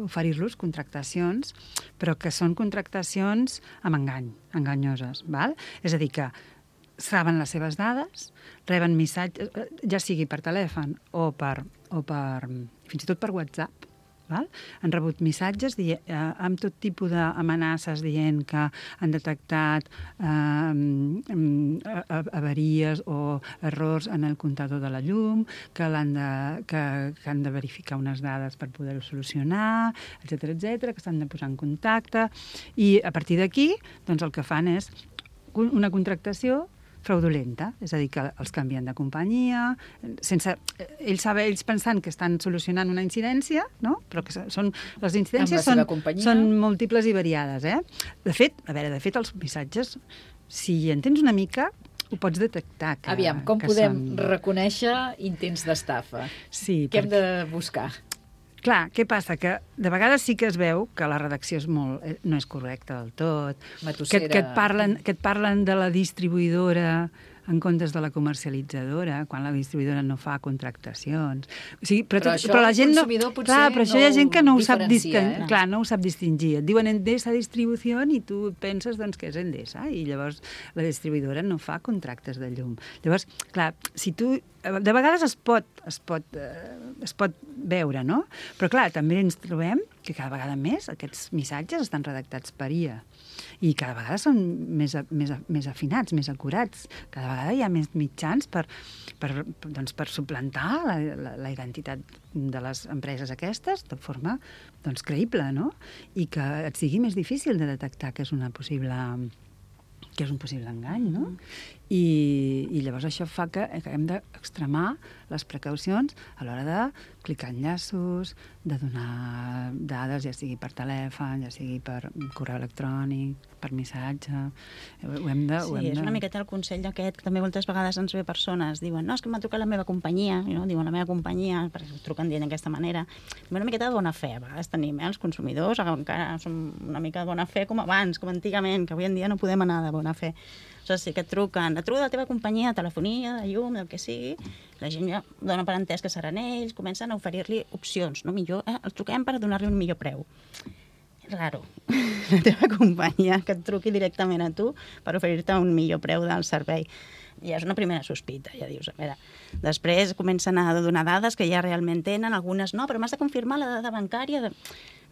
oferir-los contractacions, però que són contractacions amb enganyoses. Val? És a dir, que saben les seves dades, reben missatges, ja sigui per telèfon o fins i tot per WhatsApp, val? Han rebut missatges amb tot tipus d'amenaces dient que han detectat avaries o errors en el comptador de la llum, que han de verificar unes dades per poder-ho solucionar, etcètera, que s'han de posar en contacte. I a partir d'aquí, doncs el que fan és una contractació fraudulenta, és a dir, que els canvien de companyia, ells pensant que estan solucionant una incidència, no? Però que les incidències són múltiples i variades. De fet, els missatges, si hi entens una mica, ho pots detectar. Aviam, com podem reconèixer intents d'estafa? Sí. Què hem de buscar? Clar, què passa? Que de vegades sí que es veu que la redacció no és correcta del tot, que et parlen de la distribuïdora en comptes de la comercialitzadora, quan la distribuïdora no fa contractacions. O sigui, però la gent no... Clar, però això hi ha gent que no ho sap distingir. Clar, no ho sap distingir. Et diuen Endesa Distribució i tu penses que és Endesa i llavors la distribuïdora no fa contractes de llum. Llavors, clar, si tu... De vegades es pot veure, no? Però, clar, també ens trobem que cada vegada més aquests missatges estan redactats per IA i cada vegada són més afinats, més acurats. Cada vegada hi ha més mitjans per suplantar la identitat de les empreses aquestes de forma creïble, no? I que et sigui més difícil de detectar que és un possible engany, no? I llavors això fa que hem d'extremar les precaucions a l'hora de clicar enllaços, de donar dades, ja sigui per telèfon, ja sigui per correu electrònic, per missatge. És una miqueta el consell aquest, que també moltes vegades ens ve persones, diuen, no, és que m'ha trucat la meva companyia, no? Diuen la meva companyia, perquè truquen dient d'aquesta manera. Una miqueta de bona fe, a vegades tenim, els consumidors, encara som una mica de bona fe com abans, com antigament, que avui en dia no podem anar de bona fe. O sigui, que et truca de la teva companyia, de telefonia, de llum, del que sigui, la gent ja dona per entès que seran ells, comencen a oferir-li opcions, no? Millor, els truquem per donar-li un millor preu. És raro, la teva companyia que et truqui directament a tu per oferir-te un millor preu del servei. Ja és una primera sospita, ja dius, a veure. Després comencen a donar dades que ja realment tenen, algunes no, però m'has de confirmar la dada bancària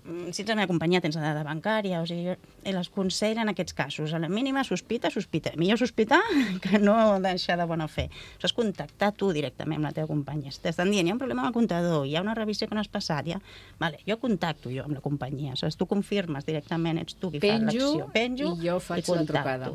si ets la meva companyia tens la dada bancària, o sigui, les consells en aquests casos, a la mínima sospita. Millor sospitar que no deixar de bona fe. Això és contactar tu directament amb la teva companyia. Si t'estan dient, hi ha un problema amb el comptador, hi ha una revisió que no has passat, vale, jo contacto amb la companyia, tu confirmes directament, ets tu qui fa l'acció. Penjo i jo faig la trucada.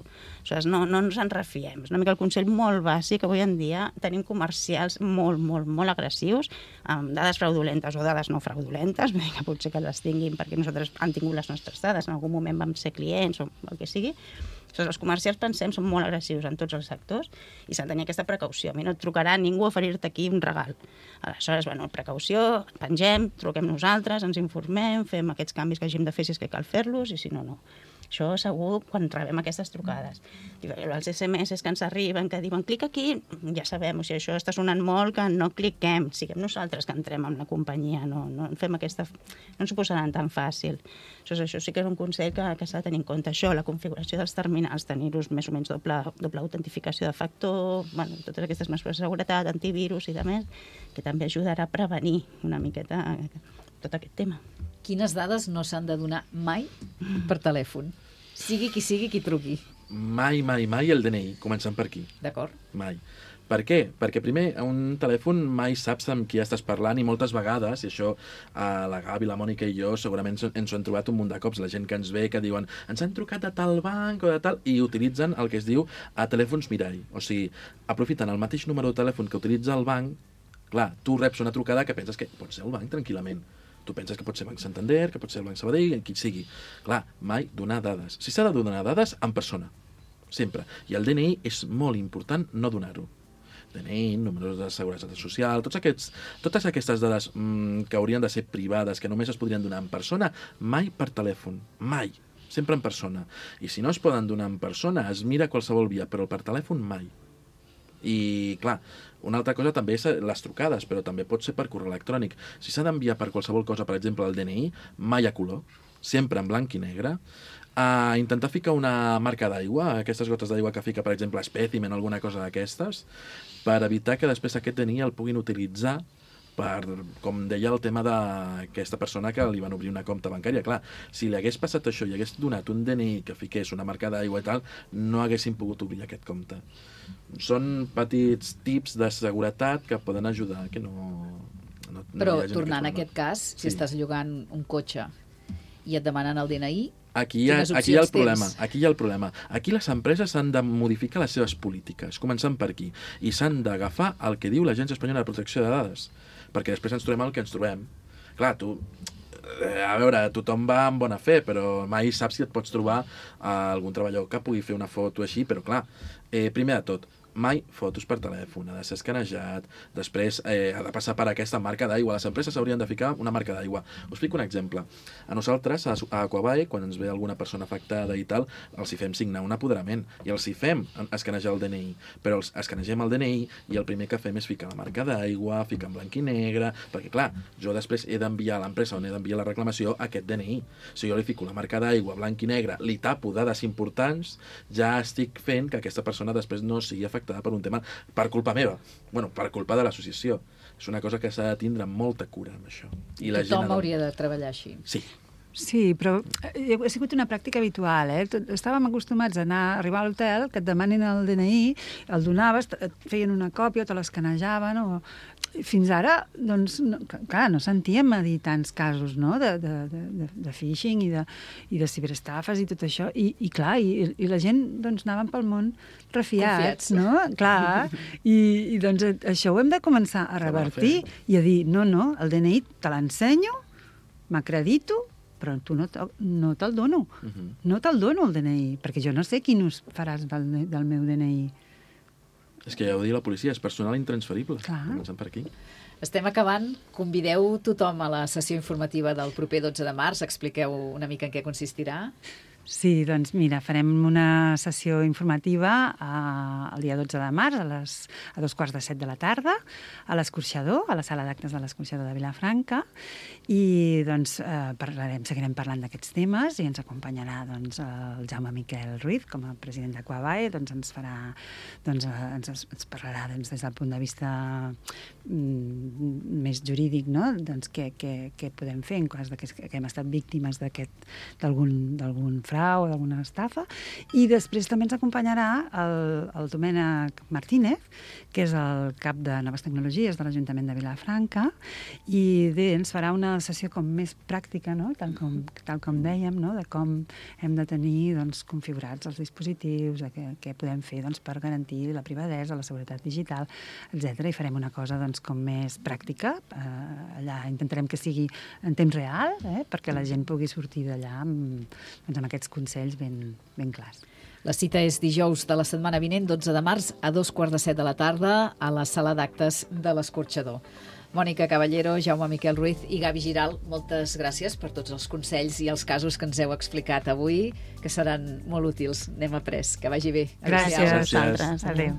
No ens en refiem. És una mica el consell molt bàsic, que avui en dia tenim comercials molt agressius, amb dades fraudulentes o dades no fraudulentes, que potser que les tinguin perquè nosaltres han tingut les nostres dades, en algun moment vam ser clients o el que sigui. Els comercials, pensem, són molt agressius en tots els sectors i s'ha de tenir aquesta precaució. A mi no et trucarà ningú a oferir-te aquí un regal. Aleshores, precaució, pengem, truquem nosaltres, ens informem, fem aquests canvis que hàgim de fer si és que cal fer-los i si no, no. Això segur quan rebem aquestes trucades. Els SMS que ens arriben, que diuen clic aquí, ja sabem, o sigui, això està sonant molt, que no cliquem, siguem nosaltres que entrem en la companyia, no fem aquesta... no ens ho posaran tan fàcil. Això sí que és un consell que s'ha de tenir en compte. Això, la configuració dels terminals, tenir-los més o menys doble autentificació de factor, totes aquestes mesures de seguretat, antivirus i demés, que també ajudarà a prevenir una miqueta tot aquest tema. Quines dades no s'han de donar mai per telèfon? Sigui qui truqui. Mai el DNI, començant per aquí. D'acord. Mai. Per què? Perquè primer, a un telèfon mai saps amb qui estàs parlant i moltes vegades, i això la Gavi, la Mònica i jo segurament ens ho hem trobat un munt de cops, la gent que ens ve que diuen ens han trucat de tal banc o de tal, i utilitzen el que es diu a telèfons mirall. O sigui, aprofiten el mateix número de telèfon que utilitza el banc. Clar, tu reps una trucada que penses que pot ser el banc tranquil·lament. Tu penses que pot ser Banc Santander, que pot ser el Banc Sabadell, qui sigui. Clar, mai donar dades. Si s'ha de donar dades, en persona. Sempre. I el DNI és molt important no donar-ho. DNI, números de seguretat social, totes aquestes dades que haurien de ser privades, que només es podrien donar en persona, mai per telèfon. Mai. Sempre en persona. I si no es poden donar en persona, es mira qualsevol via, però per telèfon mai. I, clar, una altra cosa també és les trucades, però també pot ser per correu electrònic. Si s'ha d'enviar per qualsevol cosa, per exemple, el DNI, mai a color, sempre en blanc i negre. Intentar ficar una marca d'aigua, aquestes gotes d'aigua que fica, per exemple, Specimen o alguna cosa d'aquestes, per evitar que després aquest DNI el puguin utilitzar per, com deia, el tema d'aquesta persona que li van obrir una compte bancària. Clar, si li hagués passat això i hagués donat un DNI que fiqués una marca d'aigua i tal, no haguessin pogut obrir aquest compte. Són petits tips de seguretat que poden ajudar que no Però, tornant a aquest cas, si estàs llogant un cotxe i et demanen el DNI, Aquí hi ha el problema. Aquí les empreses han de modificar les seves polítiques, començant per aquí, i s'han d'agafar el que diu l'Agència Espanyola de Protecció de Dades, perquè després ens trobem el que ens trobem. Clar, a veure, tothom va amb bona fe, però mai saps si et pots trobar algun treballador que pugui fer una foto així, però clar, primer de tot, mai fotos per telèfon, ha de ser escanejat, després ha de passar per aquesta marca d'aigua. Les empreses haurien de ficar una marca d'aigua. Us fico un exemple. A nosaltres, a Aquabae, quan ens ve alguna persona afectada i tal, els hi fem signar un apoderament i els hi fem escanejar el DNI, però els escanegem el DNI i el primer que fem és ficar la marca d'aigua, ficar en blanc i negre, perquè clar, jo després he d'enviar a l'empresa on he d'enviar la reclamació aquest DNI. Si jo li fico la marca d'aigua, blanc i negre, li tapo dades importants, ja estic fent que aquesta persona després no sigui afectada per un tema per culpa meva, per culpa de l'associació. És una cosa que s'ha de tindre molta cura amb això. I la Tothom gent hauria de treballar així. Sí. Sí, però ha sigut una pràctica habitual. Estàvem acostumats a arribar a l'hotel, que et demanin el DNI, el donaves, et feien una còpia, te l'escanejaven, o... Fins ara, doncs, no sentíem a dir tants casos, no?, de phishing i de ciberestafes i tot això, i clar, i la gent, doncs, anaven pel món refiats, no? Clar, i doncs això ho hem de començar a revertir i a dir, no, el DNI te l'ensenyo, m'acredito, però tu no te'l dono. No te'l dono, el DNI, perquè jo no sé quin ús faràs del meu DNI. És que ja ho diu la policia, és personal intransferible. Comencem per aquí. Estem acabant. Convideu tothom a la sessió informativa del proper 12 de març. Expliqueu una mica en què consistirà. Sí, doncs mira, farem una sessió informativa el dia 12 de març a 2:45 de la tarda a l'Escorxador, a la sala d'actes de l'Escorxador de Vilafranca, i doncs seguirem parlant d'aquests temes i ens acompanyarà doncs, el Jaume Miquel Ruiz com a president d'Aquabae, doncs ens parlarà des del punt de vista més jurídic, no? Doncs què podem fer en cas que hem estat víctimes d'algun frau o d'alguna estafa, i després també ens acompanyarà el Domènec Martínez, que és el cap de Noves Tecnologies de l'Ajuntament de Vilafranca, i ens farà una sessió com més pràctica, no?, tal com dèiem, no?, de com hem de tenir doncs, configurats els dispositius, què podem fer doncs, per garantir la privadesa, la seguretat digital, etc. I farem una cosa doncs, com més pràctica. Allà intentarem que sigui en temps real, perquè la gent pugui sortir d'allà amb aquests consells ben clars. La cita és dijous de la setmana vinent, 12 de març, a 2:45 de la tarda, a la sala d'actes de l'Escorxador. Mònica Caballero, Jaume Miquel Ruiz i Gavi Giral, moltes gràcies per tots els consells i els casos que ens heu explicat avui, que seran molt útils. N'hem après. Que vagi bé. Gràcies a vosaltres. Adéu.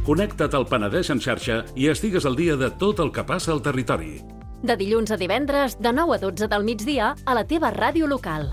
Connecta't al Penedès en xarxa i estigues al dia de tot el que passa al territori. De dilluns a divendres, de 9 a 12 del migdia, a la teva ràdio local.